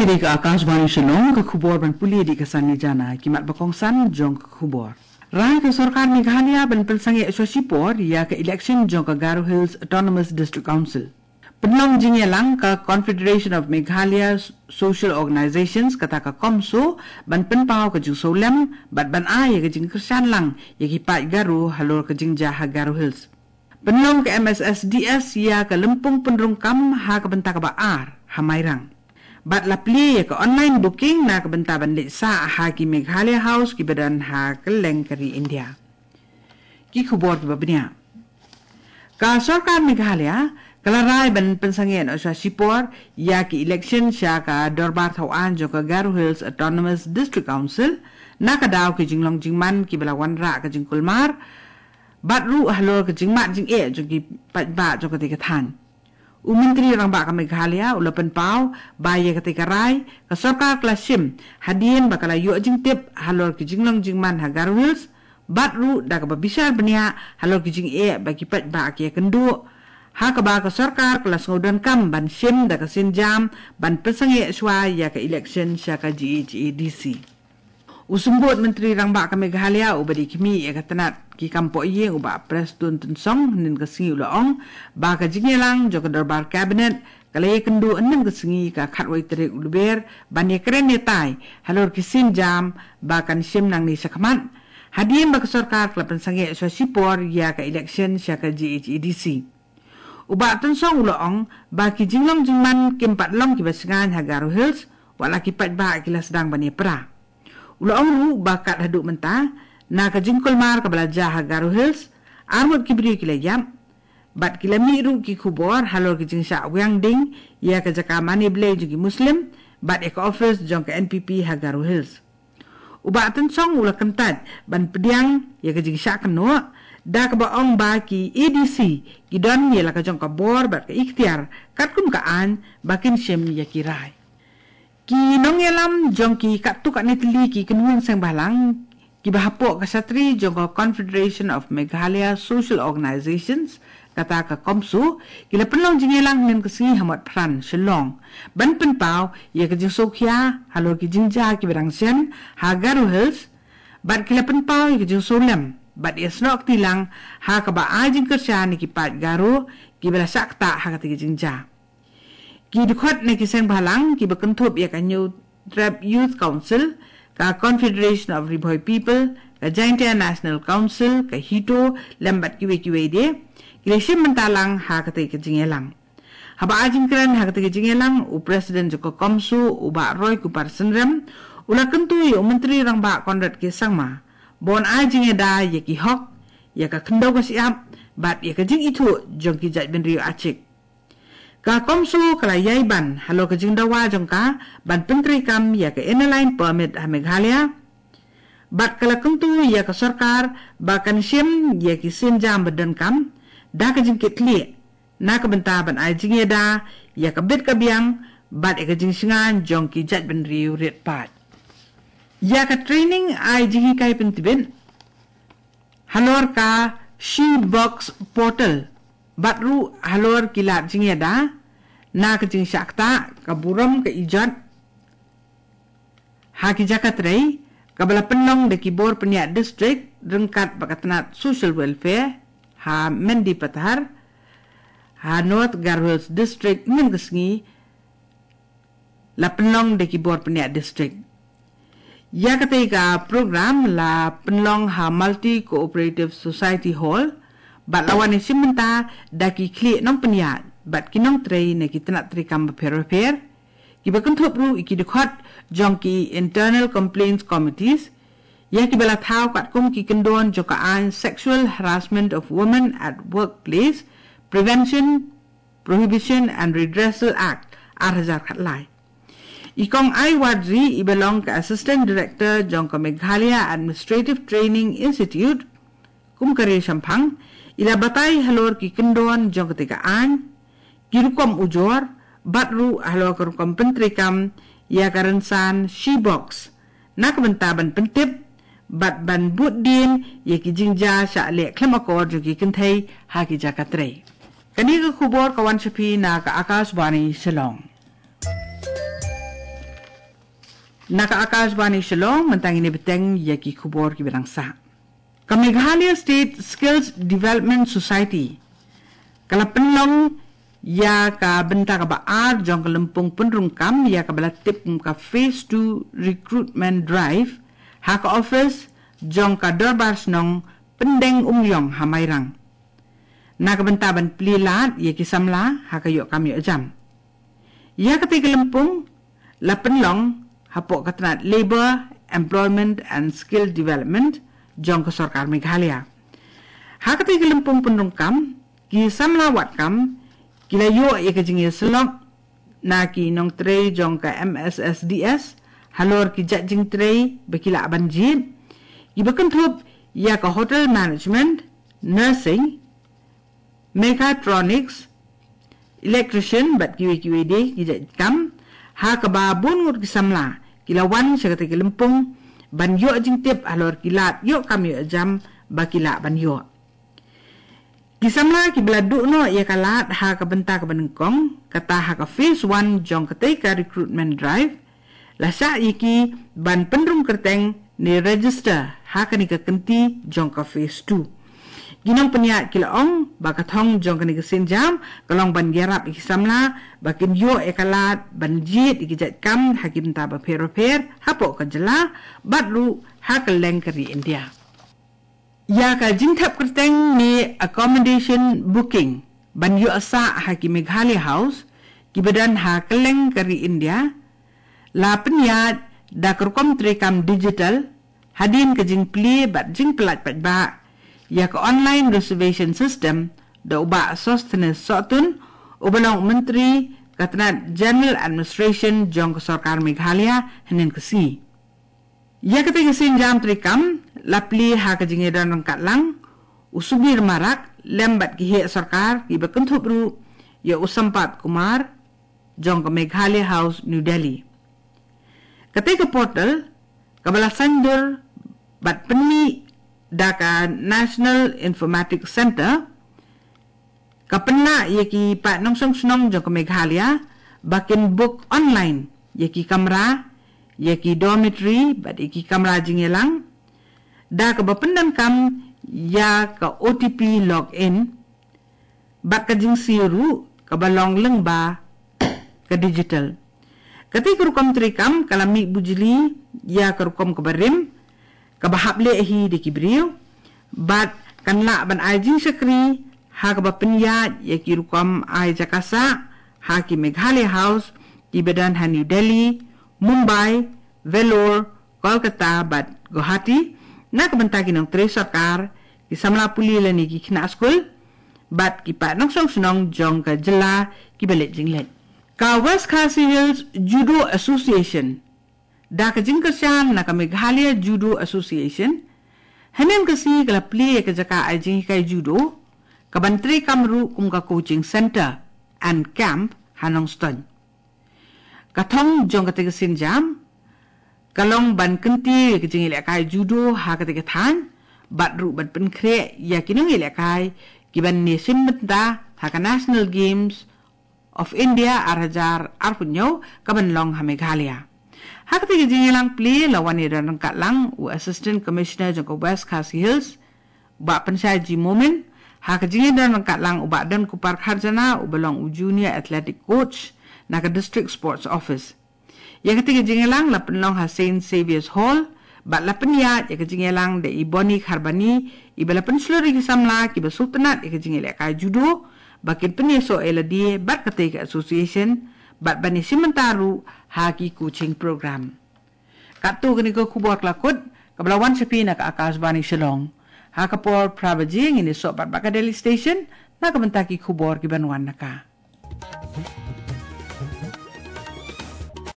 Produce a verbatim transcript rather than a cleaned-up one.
Dei ka Akashvani Shillong, ka khubor ban pule dei ka Sani Jana, ki mat ba kongsan jong ka khubor. Rai ka sorkar Meghalaya ban pynsangeh shuwa shipor ïa ka election jong ka Garo Hills Autonomous District Council. Pynlong jingïalang ka Confederation of Meghalaya Social Organizations, kata ka COMSO, ban pynpaw ka jingsngewlem bad ban ai ïa ka jingkyrshan lang ïa ki paid Garo halor ka jingjia ha Garo Hills. Pynlong ka M S S D S ïa ka lympung pynrung kam ha ka bynta kaba ar ha Mairang. Bad la plie ïa ka online booking na ka bynta ban leit sah ha ki Meghalaya House kiba don ha kylleng ka ri India. Ki khubor kiba bniah. Ka sorkar Meghalaya ka la rai ban pynsangeh noh shuwa shipor ïa ki election sha ka dorbar thawaiñ jong ka Garo Hills Autonomous District Council, na ka daw ki jinglong jingman kiba la wanrah ka jingkulmar bad ruh halor ka jingmad jingeh jong ki paidbah jong katei ka thaiñ. U Myntri Rangbah ka Meghalaya u la pynpaw ba ïa katei ka rai ka sorkar ka la shim hadien ba ka la ïoh jingtip halor ki jinglong jingman ha Garo Hills, bad ruh da kaba bishar bniah halor ki jingeh ba ki paidbah ki ïakynduh, ha kaba ka sorkar ka la sngewdonkam ban shim da ka sienjam ban pynsangeh shuwa ïa ka election sha ka G H A D C. U Symbud Myntri Rangbah ka Meghalaya uba dei khmih ïa ka tnat ki kam pohïing, u Bah Prestone Tynsong, hynnin ka sngi u la ong ba ka jingïalang jong ka dorbar Cabinet ka la ïakynduh hynnin ka sngi, ka khatwei tarik u Lber, ban ïakren ïatai halor ki sienjam ba kan shim nangne shakhmat, hadien ba ka sorkar ka la pynsangeh shuwa shipor ïa ka election sha ka G H A D C. U Bah Tynsong u la ong ba ki jinglong jingman kim pat long kiba shngaiñ ha Garo Hills, wat la ki paidbah ki la sdang ban ïapra. U la ong ruh ba kat haduh mynta, na ka jingkulmar kaba la jia ha Garo Hills, arngut ki briew ki la ïap, bad ki la mih ruh ki khubor halor ki jingshah wiang ding ïa ka jaka mane Blei jong ki Muslim bad ïa ka office jong ka N P P ha Garo Hills. U Bah Tynsong u la kyntait ban pdiang ïa ka jingshah kynnoh, da kaba ong ba ki A D C ki don ïa la ka jong ka bor bad ka iktiar katkum ka aiñ ba kin shim ïa ki rai. Ki nongïalam jong ki katto katne tylli ki kynhun seng bhalang kiba hapoh ka shatri jong ka Confederation of Meghalaya Social Organizations, kata ka COMSO, ki la pynlong jingïalang hynnin ka sngi ha Motphran, Shillong, ban pynpaw ïa ka jingsngewkhia halor ki jingjia kiba dang shem ha Garo Hills, bad ki la pynpaw ïa ka jingsngewlem bad ïasnoh kti lang ha kaba ai jingkyrshan ïa ki paid Garo kiba la shah ktah ha katei ka jingjia. Ki dkhot na ki seng bhalang kiba kynthup ïa ka Hynñiewtrep Youth Council, ka Confederation of Ri Bhoi People, ka Jaintia National Council, ka HITO, lem bad kiwei kiwei de, ki la shim bynta lang ha katei ka jingïalang. Haba ai jingkren ha katei ka jingïalang, u President jong ka COMSO, u Bah Roy Kupar Synrem, u la kyntu ïa u Myntri Rangbah Conrad K Sangma ba un ai jingïada ïa ki hok, ïa ka khyndew ka shyiap bad ïa ka jingithuh jong ki jaitbynriew Achik. Ka COMSO ka la ïai ban halor ka jingdawa jong ka ban pyntreikam ïa ka Inner Line Permit ha Meghalaya, bad ka la kyntu ïa ka sorkar ba kan shim ïa ki sienjam ba donkam da ka jingkitkhlieh, na ka bynta ban ai jingïada ïa ka bit ka biang bad ïa ka jingshngaiñ jong ki jaitbynriew rit paid. Ïa ka training ai jinghikai pyntbit halor ka She Box Portal bad ruh halor ki lad jingïada na ka jingshah ktah, ka burom, ka ijot ha ki jaka trei, kaba la pynlong da ki bor pynïaid district ryngkat bad ka tnat Social Welfare ha Mendipathar, ha North Garo Hills District, mynne ka sngi la pynlong da ki bor pynïaid district. Ïa katei ka program la pynlong ha Multi Cooperative Society Hall bad la wan ïashim bynta da ki khlieh nongpynïaid bad ki nongtrei na ki tnat treikam bapher bapher, kiba kynthup ruh ïa ki dkhot jong ki Internal Complaints Committees, ïa kiba la thaw katkum ki kyndon jong ka aiñ Sexual Harassment of Women at Workplace, Prevention, Prohibition and Redressal Act, ar hajar khatlai. I Kong Ai Warji, iba long ka Assistant Director jong ka Meghalaya Administrative Training Institute, kum ka riewshemphang, i la batai halor ki kyndon jong katei ka aiñ, ki rukom ujor, bad ruh halor ka rukom pyntreikam ïa ka rynsan She Box, na ka bynta ban pyntip bad ban bud dien ïa ki jingjia shah leh khlem akor jong ki kynthei ha ki jaka trei. Kane ka khubor ka wan sha phi na ka Akashvani Shillong. Na ka Akashvani Shillong, mynta ngin ïa bteng ïa ki khubor kiba dang sah. Ka Meghalaya State Skills Development Society ka la pynlong ïa ka bynta kaba ar jong ka lympung pynrung kam ïa kaba la tip kum ka Phase two Recruitment Drive ha ka office jong ka Dorbar Shnong Pyndeng Umïong ha Mairang, na ka bynta ban plie lad ïa ki samla ha ka ïoh kam ïoh jam. Ïa katei ka lympung la pynlong hapoh ka tnat Labour, Employment and Skill Development jong ka Sorkar Meghalaya. Ha katei ka lympung pynrung kam, ki samla wad kam ki la ïoh ïa ka jingïasyllok na ki nongtrei jong ka M S S D S halor ki jait jingtrei ba ki lah ban jied, kiba kynthup ïa ka Hotel Management, Nursing, Mechatronics, Electrician bad kiwei kiwei de ki jait kam, ha kaba bun ngut ki samla ki la wan sha katei ka lympung ban ïoh jingtip halor ki lad ïoh kam ïoh jam ba ki lah ban ïoh. Ki samla kiba la duh noh ïa ka lad ha ka bynta kaba nyngkong, kata ha ka Phase one jong katei ka Recruitment Drive, la shah ïa ki ban pynrung kyrteng ne register ha kane ka kynti jong ka Phase two. Ki nongpynïaid ki la ong ba ka thong jong kane ka sienjam ka long ban ïarap ïa ki samla ba kin ïoh ïa ka lad ban jied ïa ki jait kam ha ki bynta bapher bapher hapoh ka jylla bad ruh ha kylleng ka ri India. Ïa ka jingthep kyrteng ne accommodation booking ban ïoh sah ha ki Meghalaya House kiba don ha kylleng ka ri India la pynïaid da ka rukom treikam digital hadien ka jingplie bad jingpyllait paidbah ïa ka online reservation system da u Bah Sosthenes Sohtun, uba long u Myntri ka tnat General Administration jong ka Sorkar Meghalaya hynnin ka sngi. Ïa katei ka sienjam treikam la plie ha ka jingïadon ryngkat lang u Subir Marak lem bad ki heh sorkar kiba kynthup ruh ïa u Sampath Kumar jong ka Meghalaya House, New Delhi. Katei ka portal kaba la saiñdur bad pynmih da ka National Informatics Centre ka pynlah ïa ki paid nongshong shnong jong ka Meghalaya ba kin book online ïa ki kamra, ïa ki dormitory bad ïa ki kamra jingïalang da kaba pyndonkam ïa ka O T P login bad ka jingsiew ruh kaba long lyngba ka digital. Katei ka rukom treikam ka la mih bujli ïa ka rukom kaba rim kaba hap leh hi da ki briew bad kan lah ban ai jingshakri ha kaba pynïaid ïa ki rukom ai jaka sah ha ki Meghalaya House kiba don ha New Delhi, Mumbai, Vellore, Kolkata bad Guwahati na ka bynta ki nongtrei sorkar, ki samla pule lane ki khynnah skul bad ki paid nongshong shnong jong ka jylla kiba leit jingleit. Ka West Khasi Hills Judo Association da ka jingkyrshan na ka Meghalaya Judo Association hynnin ka sngi ka la plie ïa ka jaka ai jinghikai judo kaban treikam ruh kum ka coaching centre and camp ha Nongstoiñ. Ka thong jong katei ka sienjam ka long ban kyntiew ïa ka jingïalehkai judo ha katei ka thaiñ bad ruh ban pynkhreh ïa ki nongïalehkai kiban ïashim bynta ha ka National Games of India ar hajar arphew hynñiew kaban long ha Meghalaya. Ha katei ka jingïalang plie la wan ïadon ryngkat lang u Assistant Commissioner jong ka West Khasi Hills, Bah Pynshai G Momin, ha ka jingïadon ryngkat lang u Bah Donkupar Kharjana uba long u Junior Athletic Coach na ka District Sports Office. Ïa katei ka jingïalang la pynlong ha Saint Xavier's Hall bad la pynïaid ïa ka jingïalang da i Bonnie Kharbani, iba la pynshlur ïa ki samla kiba sngewtynnat ïa ka jingïalehkai judo ba kin pynïasoh ïa lade bad katei ka association bad ban ïashim bynta ruh ha ki coaching program. Katto katne ka khubor ka la kut kaba la wan sha phi na ka Akashvani Shillong. Ha ka por phra baje ngin ïasoh pat bad ka Delhi Station na ka bynta ki khubor kiban wan na ka